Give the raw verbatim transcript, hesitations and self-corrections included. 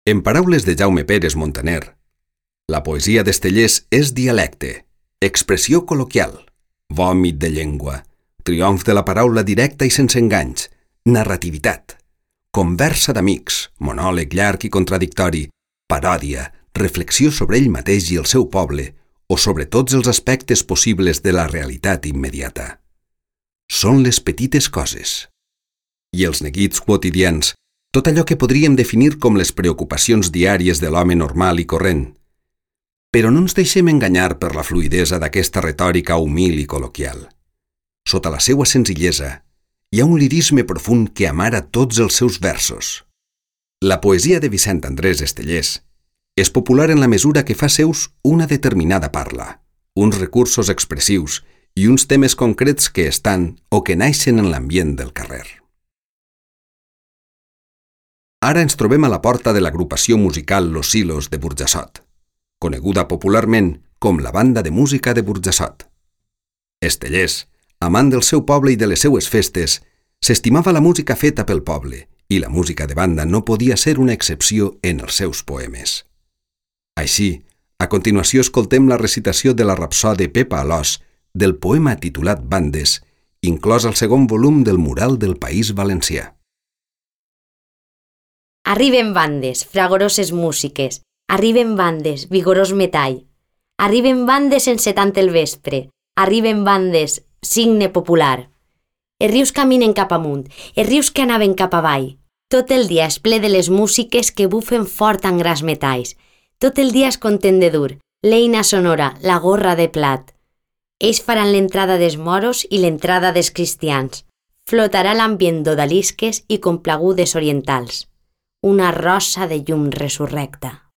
En paraules de Jaume Pérez Montaner, la poesia d'Estellés és dialecte, expressió col·loquial, vòmit de llengua, triomf de la paraula directa i sense enganys, narrativitat, conversa d'amics, monòleg llarg i contradictori, paròdia, reflexió sobre ell mateix i el seu poble o sobre tots els aspectes possibles de la realitat immediata. Són les petites coses. I els neguits quotidians, tot allò que podríem definir com les preocupacions diàries de l'home normal i corrent. Però no ens deixem enganyar per la fluïdesa d'aquesta retòrica humil i col·loquial. Sota la seua senzillesa, hi ha un lirisme profund que amara tots els seus versos. La poesia de Vicent Andrés Estellés és popular en la mesura que fa seus una determinada parla, uns recursos expressius i uns temes concrets que estan o que naixen en l'ambient del carrer. Ara ens trobem a la porta de l'agrupació musical Los Silos de Burjassot, coneguda popularment com la Banda de Música de Burjassot. Estellés, amant del seu poble i de les seues festes, s'estimava la música feta pel poble i la música de banda no podia ser una excepció en els seus poemes. Així, a continuació escoltem la recitació de la rapsode Pepa Alòs del poema titulat Bandes, inclòs al segon volum del Mural del País Valencià. Arriben bandes, fragoroses músiques, arriben bandes, vigorós metall, arriben bandes sense tant el vespre, arriben bandes, signe popular. Els rius caminen cap amunt, els rius que anaven cap avall. Tot el dia és ple de les músiques que bufen fort en gras metalls. Tot el dia és content de dur, l'eina sonora, la gorra de plat. Ells faran l'entrada dels moros i l'entrada dels cristians. Flotarà l'ambient d'odalisques i complagudes orientals. Una rosa de llum resurrecta.